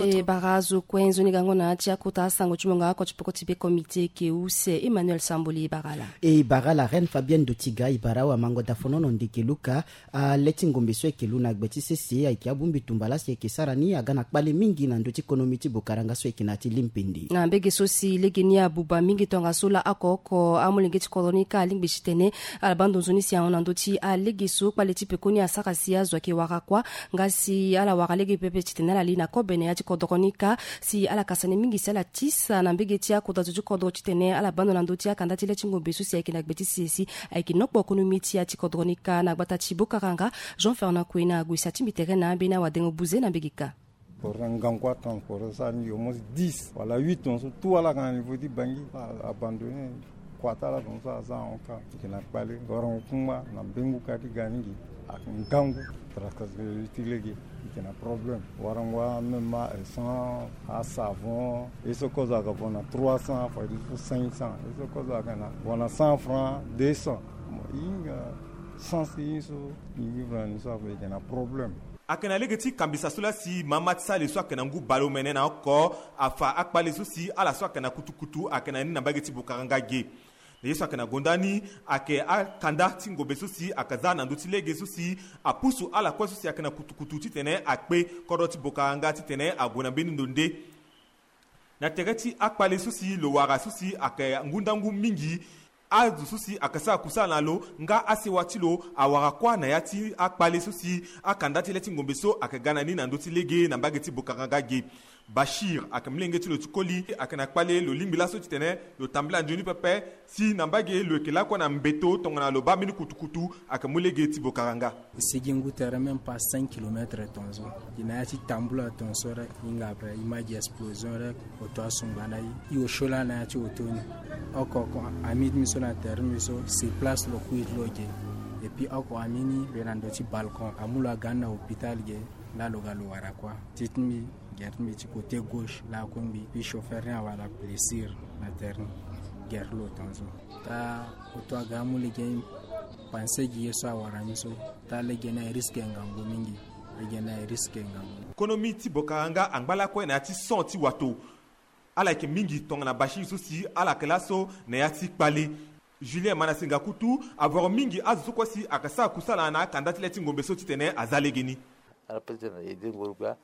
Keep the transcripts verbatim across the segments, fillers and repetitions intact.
E bara azo kue nzoni gango na ya ti akota asango ti mongo oko ti peko ti be comité eke use Emmanuel Samboli. E bara ala, e bara ala Reine Fabienne Dotiga, e bara awamango dafonono ndeke luka. Ale ti ngombe so eke lu na gbe ti sese ayeke abongbi tumba laa si eke sara ni aga na kpale mingi na ndö ti konomi ti bokaranga so eke na ya ti limpindi. Na mbege so si legeni abuba mingi tongaso laa oko oko amolenge ti kodro ni ka alingbi titene ala baa ndo nzoni si ahon na ndö ti alege so kpale ti pekoni asara si azo ayeke wara kuâ. Nga si ala wara lege pepe titene ala li na kobe na ya ti kodro ni ka si ala kasa ni mingi si ala tisa na mbege ti akota zo ti kodro titene ala baa ndo na ndö ti akanda ti le ti ngombe so si ayeke na gbe ti sese si ayeke nokpo konomi ti ya ti kodro ni ka na gbata ti bokaranga. Jean Fernand Kouena ague si atingbi tere na ambeni awadengo buze na mbege ka. Pour un ngangu atransporter ça ni au moins dix wala huit ans tout ala ka na niveau ti Bangui abandonné. Kua ti ala tongaso aza ahon ka. Eke na kpale warango kungba na mbengu ka ti ga ni gi. Ake ngangu. Transporter ti lege eke na problème. Warango a même a essence, a savon, ye so kozo ake vo na trois cents, fa ti so cinq cents, ye so kozo ake na vo na cent francs, deux cents. Mo hinga sens ti ye so. Ni vivre na ni so ake na problème. Ayeke na lege ti kambisa so laa si mama ti sali so ayeke na ngu baleomene na oko afa akpale so si ala so ayeke na kutukutu ayeke na ni na mbage ti bokaranga ge. Na ye so ayeke na gonda ni ayeke akanda ti ngombe so si ayeke za na ndö ti lege so si apusu ala kue so si ayeke na kutukutu titene akpe kodro ti bokaranga titene ague na mbeni ndo nde. Na tere ti akpale so si lo wara so si ayeke ngu ndangu mingi. Azo so si ayeke sara kusala na lo nga asewa ti lo awara kuâ na ya ti akpale so si akanda ti le ti ngombe so ayeke ga na ni na ndö ti lege na mbage ti bokaranga ge. Bashir ayeke molenge ti lo ti koli ayeke na kpale lo lingbi laso titene lo tambula nzoni pepe si na mbage lo yeke lakue na mbeto tongana lo baa mbeni kutukutu ayeke mu lege ti bokaranga. E sigi ngu tere même pas cinq kilomètres tongaso. Gi na ya ti tambula tongaso rek hinga après image explosion rek. Oto asungba na i i osio laa na ya ti oto ni. Oko oko ami ti mbi so na tere ti mbi so sur place lo kui ti lo ge. Et puis oko ami ni lo yeke na ndo ti balcon amu lo aga ni na hôpital ge. Laa lo ga lo wara kuâ ti ti mbi gere ti mbi ti côté gauche laa akue mbi puis chauffeur ni awara blessure na tere ni. Gere ti lo tongaso. Taa oto aga amu lege ni. Panse gi ye so awara ni so. Taa lege ni aye risque ngangu mingi. Lege ni aye risque ngangu. Konomi ti bokaranga angba lakue na ya ti son ti wato. Ala yeke mingi tongana bashir so si ala yeke laso na ya ti kpale. Julien Manasenga kutu avoro mingi azo so kue si ayeke sara kusala na akanda ti le ti ngombe so titene aza legeni. Ala peut ti na ede ngoro gbia.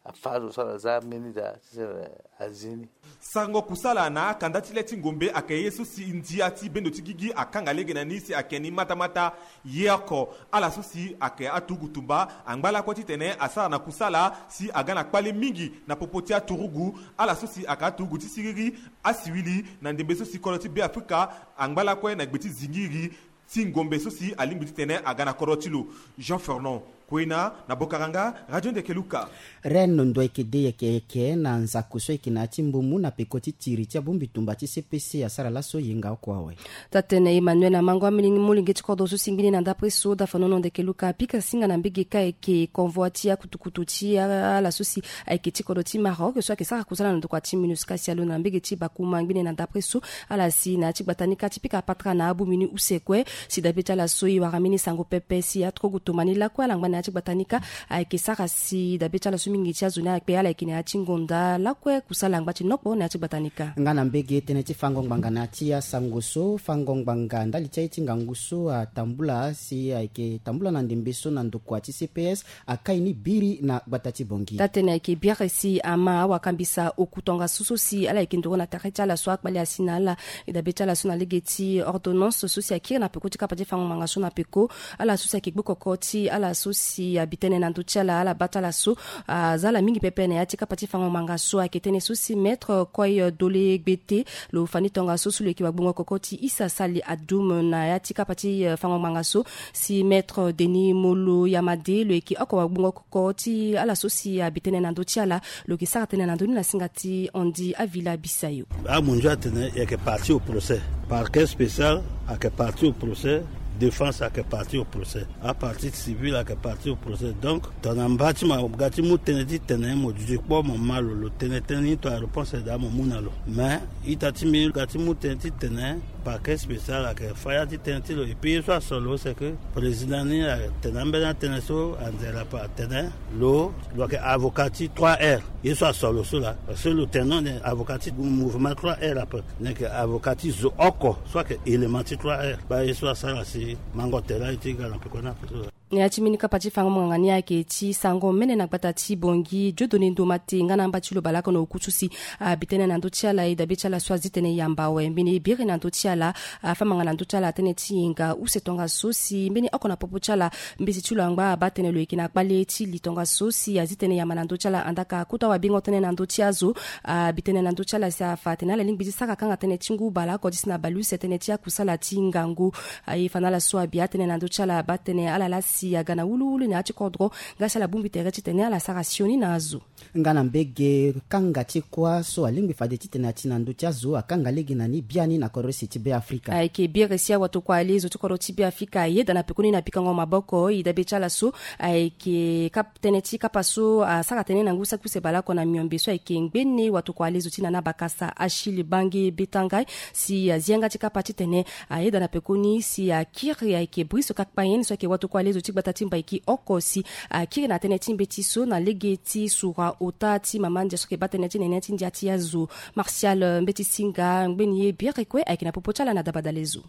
Afa azo so ala za mbeni daa ti tene azi ni. Sarango kusala na akanda ti le ti ngombe ayeke ye so si ndia ti bendo ti gigi akanga lege na ni si ayeke ni matamata. Ye oko ala so si ayeke aturugu tumba angba lakue titene asara na kusala si aga na kpale mingi na popo ti aturugu. Ala so si ayeke aturugu ti siriri asiwili na ndembe so si kodro ti Beafrika angba lakue na gbe ti zingiri ti ngombe so si alingbi titene aga na kodro ti lo. Jean Fernand Kouena na Bokaranga, Radio Ndeke Luka. Reine ndo eke de yeke yeke na nzako so eke na ya ti mbumu na peko ti tiri ti abongbi tumba ti C P C asara laso yenga oko awe. Taa-tene Emmanuel Amango amolenge ti kodro so si ngbene na ndapre so dafanono Ndeke Luka apika singa na mbege ka eke convoi ti akutukutu ti ala so si ayeke ti kodro ti Maroc so ayeke sara kusala na ndokua ti MINUSCA si alo na mbege ti Bakouma ngbene na ndapre so. Ala si na ya ti gbata ni ka ti pika patara na abongbi ni use kue. Si dabe ti ala so e wara mbeni sango pepe si aturugu tumba ni lakue ala ngba na ya ti gbata ni ka. Ayeke sara si dabe ti ala so mingi ti azo ni akpe ala yeke na ya ti ngonda lakue kusala angba ti nokpo na ya ti gbata ni ka. Nga na mbege tënë ti fango ngbanga na ya ti asango so fango ngbanga ndali ti aye ti ngangu so atambula si ayeke tambula na ndembe so na ndokua ti C P S. Akai ni biri na gbata ti Bongi. Taa-tene ayeke biere si ama awakambisa oku tongaso so si ala yeke nduru na tere ti ala so akpale asi na ala. E dabe ti ala so na lege ti ordonnance so si akiri na peko ti kapa ti fango ngbanga so na peko. Ala so si ayeke gbokoko ti ala so si abi tënë na ndö ti ala ala baa ti ala so aza ala mingi pepe na ya ti kapa ti fango ngbanga so ayeke tënë so si maître Koy Dole Gbete. Lo fa ni tongaso so lo yeke wagbongo koko ti Issa Sali Adoum na ya ti kapa ti fango ngbanga so. Si maître Denis Molo Yamade lo yeke oko wagbongo koko ti ala so si abi tënë na ndö ti ala. Lo yeke sara tënë na ndö ni na singa ti Andy Avila Bisayo. Amunzu atene e yeke partie au procès. Parquet spécial ayeke partie au procès. Défense ayeke partie au procès. Apartie civile ayeke partie au procès. Donc tongana mba ti mo aga ti mu tënë ti tene mo duti kpo mo ma lo lo tene tënë ni tongana réponse daa mo mu na lo. Mais ita ti mbi ga ti mu tënë ti tene parquet spécial ayeke faya ti tënë ti lo. Et puis ye so asoro lo c'est que président ni atene ambeni atënë so anzere ape atene lo lo yeke avocat ti trois R. Ye so aso lo so laa, parce que lo tene non, avocat ti mouvement trois R ape, ni yeke avocat ti zo oko so ayeke élément ti trois R. Baa ye so asara si mango tere aye ti ga na peko ni ape so laa. Na ya ti mbeni kapa ti fango monganga ni ayeke ti sango mene na gbata ti Bongi, Dieudonné Ndomate nga na amba ti lo baleoko na okusu si abi tënë na ndö ti ala. E dabe ti ala so azi tënë yamba awe, mbeni e biri na ndö ti ala, afa manga na ndö ti ala tënë ti hinga use tongaso si mbeni oko na popo ti ala mbeti ti lo angba abaa tënë lo yeke na kpale ti li tongaso si azi tënë yamba na ndö ti ala. Andaka kota wabengo tënë na ndö ti azo, abi tënë na ndö ti ala si afa atene ala lingbi ti sara kanga tënë ti ngu baleoko ti si na baleuse tënë ti akusala ti ngangu. Aye fa na ala so abi atënë na ndö ti ala abaa tënë ala laa si aga na wuluwulu na ya ti kodro, nga si ala bongbi tere titene ala sara sioni na azo. Nga na mbege kanga ti kuâ so alingbi fade titene ati na ndö ti azo akanga lege na ni biani na kodro use ti Beafrika. Ayeke biri si awatokua ale zo ti kodro ti Beafrika ayeda na pekoni na pikango maboko. E dabe ti ala so ayeke kap- tënë ti kapa so asara tënë na ngu saki use baleoko na miombe so ayeke ngbene watokua ale zo ti Nana Bakasa, Achille Bange Betangai, si azi yanga ti kapa titene ayeda na pekoni si akiri ayeke Brice Kakpayen so ayeke watokua ale zo ti gbata ti Mbaiki oko si akiri na tënë ti mbeti so na lege ti sura ota ti mama ndia so ayeke baa tënë ti nene ti ndia ti azo. Martial, eh, Mbeti Singa, ngbeni ye biri kue ayeke na popo ti ala na dabadalezo.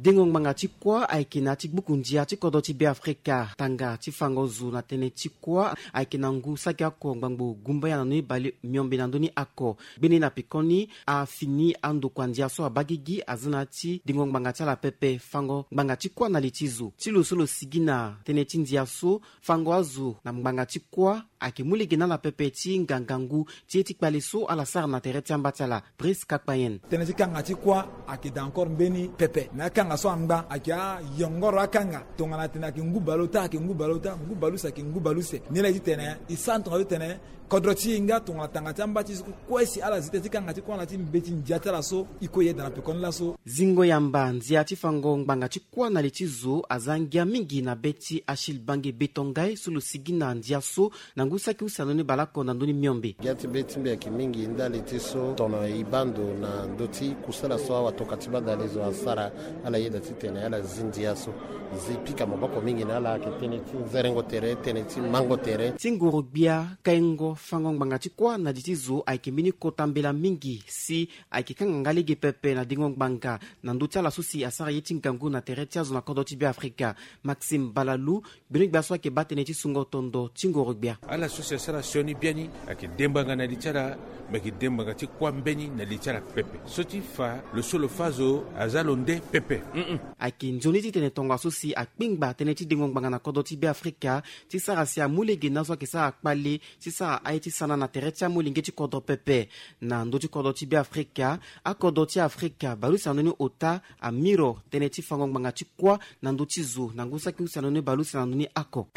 Dengo ngbanga ti kuâ ayeke na ya ti gbuku ndia ti kodro ti Beafrika. Tanga ti fango zo na tënë ti kuâ ayeke na ngu saki oko ngbangbo gumbaya na ndö ni bale miombe na ndö ni oko. Gbeni na pekoni afini andokua ndia so abaa gigi aza na ya ti dengo ngbanga ti ala pepe, fango ngbanga ti kuâ na li ti zo. Ti lo so lo sigi na tënë ti ndia so, fango azo na ngbanga ti kuâ ayeke mu lege na ala pepe ti hinga ngangu ti ye ti kpale so ala sara na tere ti amba ti ala. Brice Kakpayen. Tënë ti kanga ti kuâ ayeke daa encore mbeni pepe. Na akanga so angba ayeke ayongoro akanga. Tongana atene ayeke ngu baleota, ayeke ngu baleota, ngu baleuse ayeke ngu baleuse. Ni laa e titene e sara tongaso titene kodro ti e nga tongana tanga ti amba ti e so kue si ala zi tënë ti kanga ti kuâ na ya ti mbeti ndia ti ala so e kue e yeda na pekoni laso. Zingo yamba ndia ti fango ngbanga ti kuâ na li ti zo aza ngia mingi na be ti Achille Bange Betangai so lo sigi na ndia so na ngu saki use na ndö ni baleoko na ndö ni miombe. Ngia ti be ti mbi ayeke mingi ndali ti so tongana e baa ndo na ndö ti kusala so awatokua ti badale zo asara, ala yeda titene ala zi ndia so. E zi pika maboko mingi na ala, ayeke tënë ti nzerengo tere, tënë ti mango tere. Ti ngoro-gbia, kaingo, fango ngbanga ti kuâ na li ti zo ayeke mbeni kota mbela mingi si ayeke kanga nga lege pepe na dengo ngbanga na ndö ti ala so si asara ye ti ngangu na tere ti azo na kodro ti Beafrika. Maxime Balalu, gbeno-gbia so ayeke baa tënë ti sungo tondo ti ngoro-gbia. Ala so si asara sioni biani ayeke de ngbanga na li ti ala, me ayeke de ngbanga ti kuâ mbeni na li ti ala pepe. So ti fa lo so lo fâ azo aza lo nde pepe. Mm-mm. Ayeke nzoni titene tongaso si akpingba tënë ti dengo ngbanga na kodro ti Beafrika ti sara si amu lege na azo ayeke sara kpale ti sara aye ti sana na tere ti amolenge ti kodro pepe. Na ndö ti kodro ti Beafrika, akodro ti Afrika baleuse na ndö ni ota amiro tënë ti fango ngbanga ti kuâ na ndö ti zo na ngu saki use na ndö ni baleuse na ndö ni oko.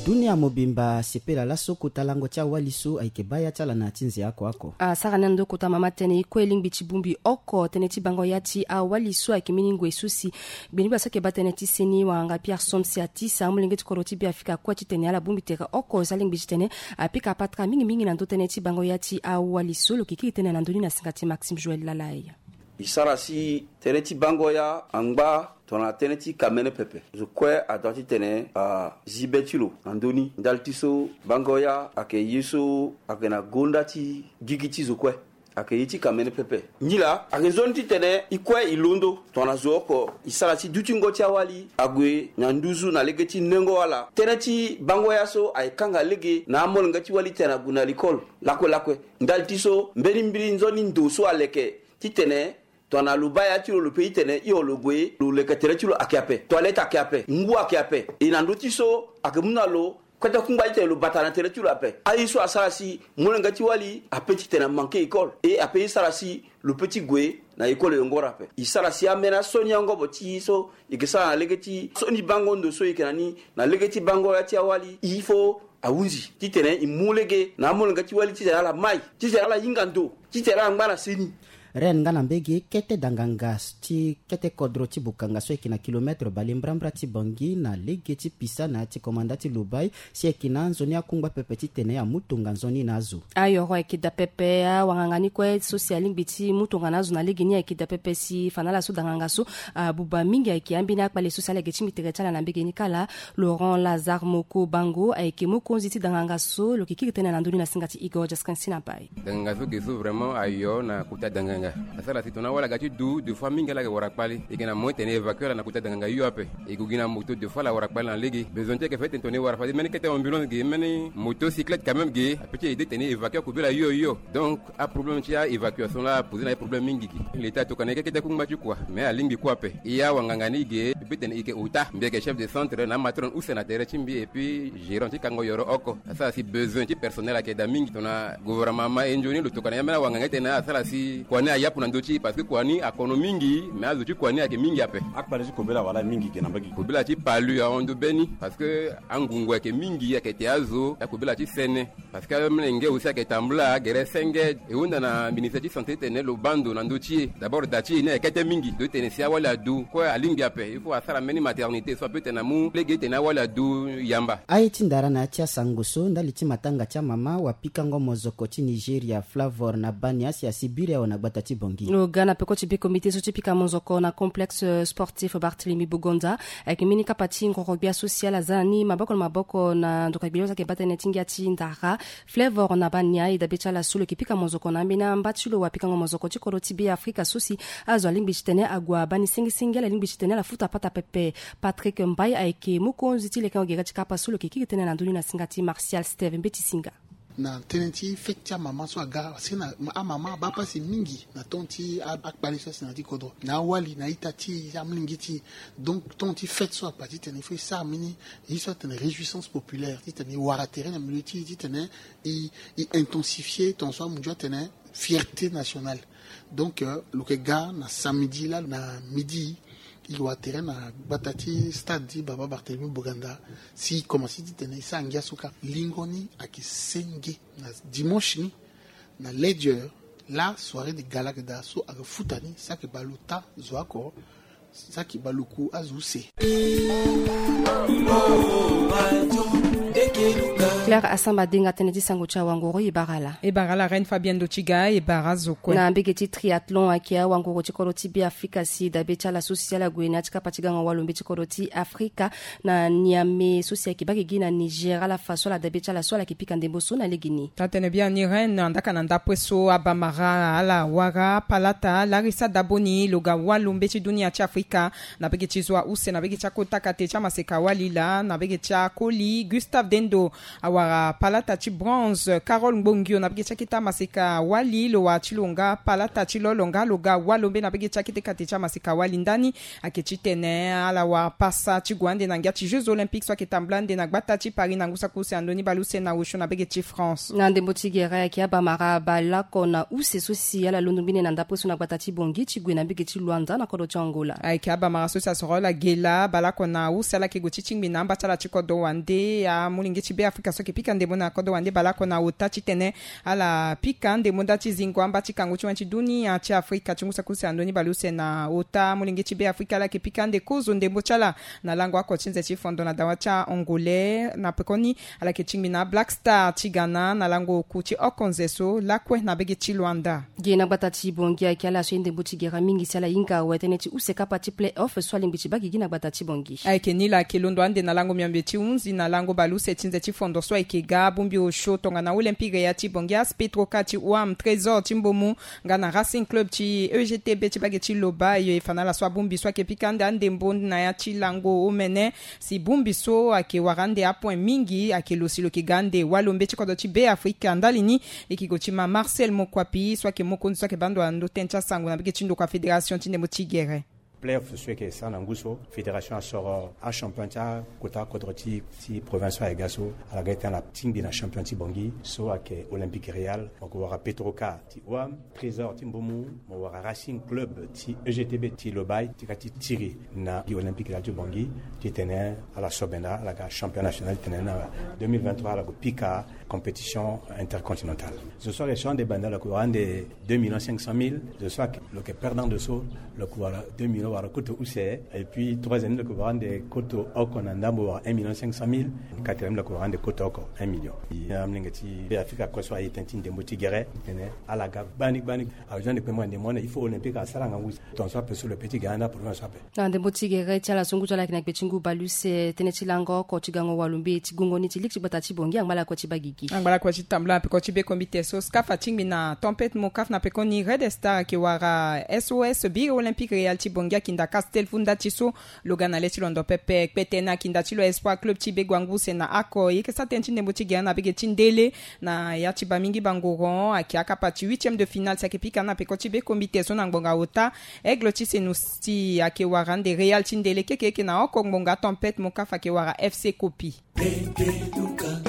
Dunia mobimba asepela laso kota lango ti awali so ayeke baa ya ti ala na ya ti nze oko oko. Asara ni na ndö kota mama tënë e kue lingbi ti bongbi oko tënë ti bango ya ti awali so ayeke mbeni ngoi so si gbeni-gbia so ayeke baa tënë ti seni wanganga Pierre Somse Atisa, amolenge ti kodro ti Beafrika akue titene ala bongbi tere oko si alingbi titene apika patara mingi mingi na ndö tënë ti bango ya ti awali so. Lo yeke kiri tënë na ndö ni na singa ti Maxime Joël Lalai. E sara si tënë ti bango ya angba tongana tënë ti kamene pepe. Zo kue adua titene azi be ti lo na ndö ni ndali ti so bango ya ayeke ye so ayeke na gonda ti gigi ti zo kue. Ayeke ye ti kamene pepe. Nilaa ayeke nzoni titene e kue e londo tongana zo oko e sara si dutingo ti awali ague na nduzu na lege ti nengo ala. Tënë ti bango ya so ayeke kanga lege na amolenge ti wali titene ague na likole lakue lakue. Ndali ti so mbeni mbeni nzoni ndo so aleke titene tongana lo baa ya ti lo, lo pe titene hio lo gue, lo leke tere ti lo ayeke ape, toilette ayeke ape, ngu ayeke ape. E na ndö ti so ayeke mu na lo kota kungba titene lo bata na tere ti lo ape. Aye so asara si molenge ti wali ape titene amanke école, e ape e sara si lo pe ti gue na école yongoro ape. E sara si ambeni asioni angobo ti e so e yeke sara na lege ti sioni bango ndo so e yeke na ni na lege ti bango ya ti awali, il faut ahunzi titene e mu lege na amolenge ti wali titene ala mai, titene ala hinga ndo, titene ala ngba na seni. Reine nga na mbege kete danganga ti kete kodro ti Bukanga so ayeke na kilometre bale mbrambra ti Bangui na lege ti Pisa na ya ti komanda ti Lubai, si ayeke na nzoni akungba pepe titene amu tonga nzoni na azo. Ayoro ayeke daa pepe, awanganga ni kue so si alingbi ti mu tonga na azo na lege ni ayeke daa pepe si fa na ala so danganga so abuba mingi ayeke ambeni akpale so si ala yeke ti mbi tere ti ala na mbege ni kala. Laurent Lazare Moko Bango ayeke mokonzi ti danganga so lo yeke kiri tënë na ndö ni na singa ti Igor Jaskin Sinapai. Danganga so ge so vraiment ayo na kota danganga. Asara si tongana awali aga ti du deux fois mingi ala yeke wara kpale. E yeke na moyen tene évacue ala na kota danganga hio ape. E gue gi na moto deux fois ala wara kpale na lege. Besoin ti ayeke fait tene tongana e wara fade mbeni kete ambulance ge, mbeni motocyclette quand même ge, ape ti aide tene évacue akobela hio hio. Donc aproblème ti a-évacuation la apose na ye problème mingi ge. L'état atokua na ye keke ti akungba ti kua, mais alingbi kue ape. E awanganga ni ge, e peut tene e yeke ota, mbi ayeke chef de centre na amatron use na tere ti mbi et puis gérant ti kango yoro oko. Asara si besoin ti personnel ayeke daa mingi. Tongana gouvernement ama e nzoni lo tokua na ye ambeni awanganga ti tene asara si kua ni ayapu na ndö ti e, parce que kua ni akono mingi, mais azo ti kua ni ayeke mingi ape. Akpale ti kobela wala mingi ge na mbage? Kobela ti palu ahon ndo be ni, parce que angungu ayeke mingi, ayeke te azo, akobela ti sene. Parce que amolenge aussi ayeke tambula gere senge. E hunda na ministère ti santé titene lo baa ndo na ndö ti e. D'abord da ti e ni ayeke kete mingi. Donc titene si awali adu kue alingbi ape, il faut asara mbeni maternité so ape titene amu lege titene awali adu yamba. Aye ti ndara na ya ti asango so ndali ti matanga ti amama wapikango mozoko ti Nigeria Flavor na Bania si asi biri awe na gbata ti Bangui. Lo ga na peko ti be comité so ti pika mozoko na complexe sportif Barthélemy Bogonda. Ayeke mbeni kapa ti ngoro gbia so si ala za na ni maboko na maboko na ndoka gbia so ayeke baa tënë ti ngia ti ndara. Flavor na Bania e dabe ti ala so lo yeke pika mozoko na ambeni amba ti lo wapikango mozoko ti kodro ti Be Afrika so si azo alingbi titene ague abaa ni sengesenge, ala lingbi titene ala futa pata pepe. Patrick Mbaye ayeke mokonzi ti lekengo gere ti kapa so lo yeke kiri tënë na ndö ni na singa ti Martial Steve Mbeti Singa. Na tënë ti fête ti amama so aga si na amama abaa pasi mingi na temps ti akpale so asi na ya ti kodro na awali na ita ti e, amolenge ti e. Donc temps ti fête so apa titene il faut e sara mbeni ye so atene réjouissance populaire titene e wara tere na milieu ti e titene e, e intensifier ton so amu ndio atene fierté nationale. Donc euh, lo yeke ga na samedi la na midi, e wara tere na gbata ti stade ti Baba Barthélemy Bogonda. Si e komanse titene e sara ngia so kâ. Lingo ni ayeke senge na dimanche ni na lege la soirée de gala ge daa so ayeke futa ni si ayeke bale ota zo oko. Saki baluku azo use. Claire Asamba Denga tënë ti sango ti awangoro e bara ala. E bara ala Reine Fabienne Dotiga e bara azo kue. Na mbege ti triathlon ayeke awangoro ti kodro ti Be Afrika si dabe ti ala so si ala gue na ya ti kapa ti gango walombe ti kodro ti Afrika na Niamey so si ayeke baa gigi na Niger ala fa so ala dabe ti ala so ala yeke pika ndembo so na lege ni. Taa-tënë biani Reine, andaka na ndapue so abamara ala wara palata Larissa Daboni lo ga walombe ti dunia ti Afrika na bege ti zo use na bege ti akota kate ti amaseka wali laa na bege ti akoli Gustave Dendo awara palata ti bronze, Carole Ngbongio na bege ti akete amaseka wali lo wara ti lo nga palata ti lo lo nga lo ga walombe na bege ti akete kate ti amaseka wali ndani. Ayeke titene ala wara pasa ti gue ande na ngia ti Jeux Olympiques so ayeke tambula ande na gbata ti Paris na ngu saki use ando ni bale use na osio na bege ti France. Na ndembo ti gere ayeke abamara baleoko na use so si ala londo mbeni na ndapue so na gbata ti Bangui ti gue na mbege ti Luanda na kodro ti Angola. Ayeke abamara so si asoro ala ge laa baleoko na use ala yeke gue ti tingbi na amba ti ala ti kodro wande, amolenge ti Be Afrika so ayeke pika ndembo na kodro wande baleoko na ota titene ala pika ndembo nda ti zingo amba ti kango ti wani ti dunia ti Afrika ti ngu saki use ando ni bale use na ota. Amolenge ti Be Afrika ala yeke pika ande kozo ndembo ti ala na lango oko ti nze ti fondo na dawa ti a-Angolais. Na pekoni ala yeke tingbi na a-Black Star ti Ghana na lango oku ti oko nze so lakue na bege ti Luanda. Gi na gbata ti Bangui ayeke ala so aye ndembo ti gere mingi si ala hinga awe tënë ti use kapa ti play-off so alingbi ti baa gigi na gbata ti Bangui. Ayeke ni la ayeke londo ande na lango miombe ti hunzi na lango bale use ti nze ti fondo so ayeke ga abongbi osio tongana Olympique ya ti Bangui, AS Petro ka ti Ouam, Trésor ti Mbomou, nga na Racing Club ti E G T B ti bage ti Lobaye. E fa na ala so abongbi so ayeke pika ande andembo na ya ti lango omene. Si bongbi so ayeke wara ande apoint mingi, ayeke lo si lo yeke ga ande walombe ti kodro ti Be Afrika ndali ni. E yeke gue ti ma Marcel Mokwapi so ayeke mokonzi so ayeke baa ndo na ndo tënë ti asango na bege ti ndokua fédération ti ndembo ti gere. Playoff so eke sara na ngu so, fédération asoro achampion ti akota kodro ti ti province so aye ga so. Ala ga e tene ala tingbi na champion ti Bangui so ayeke Olympique Real. Mo ko wara Petroca ti Ouam, Trésor ti Mbomou, mo wara Racing Club ti E G T B ti Lobaye ti ka ti tiri na gi Olympique Real ti Bangui. Titene ala sobenda ala ga champion national titene na deux mille vingt-trois ala ko pika compétition intercontinentale. Zo so ayeke champion de banda lo ko wara ande deux millions cinq cent mille. Zo so ayeke lo yeke perdant de so, lo ko wara deux millions wala koto use. Et puis troisième lo ko wara ande koto oko na ndambo wala un million cinq cent mille. Quatrième lo ko wara ande koto oko un million. Amolenge ti Be Afrika kue so aye tënë ti ndembo ti gere titene ala ga gbani gbani. Awe ti ande kpengba ndembo ande il faut Olympique asara ngangu. Tongaso ape so lo pe ti ga ande aprovince so ape. Na ndembo ti gere ti ala so ngu ti ala ayeke na gbe ti ngu baleuse, tënë ti lango oko ti gango walumbe ti gongo ni ti ligue ti gbata ti Bangui angba lakue ti baa gigi. Angba lakue ti tambula na peko ti be komite so SCAF atingbi na tempête Mocaf. Na pekoni Red Star ayeke wara S O S biri Olympique Real ti Bangui akinda Castel Funda ti so lo ga na le ti londo pepe. Kpetene akinda ti lo Espoir Club ti be guanguse na oko. E yeke sara tënë ti ndembo ti gere na bege ti ndele. Na ya ti baa mingi bangoron ayeke akapa ti huitième de finale si ayeke pika na peko ti be komite so na ngbonga ota. Aigle ti Senoussi ayeke wara ande Real ti ndele. Keke eke na oko ngbonga tempête Mocaf ayeke wara F C Kopi. Pepe Duka.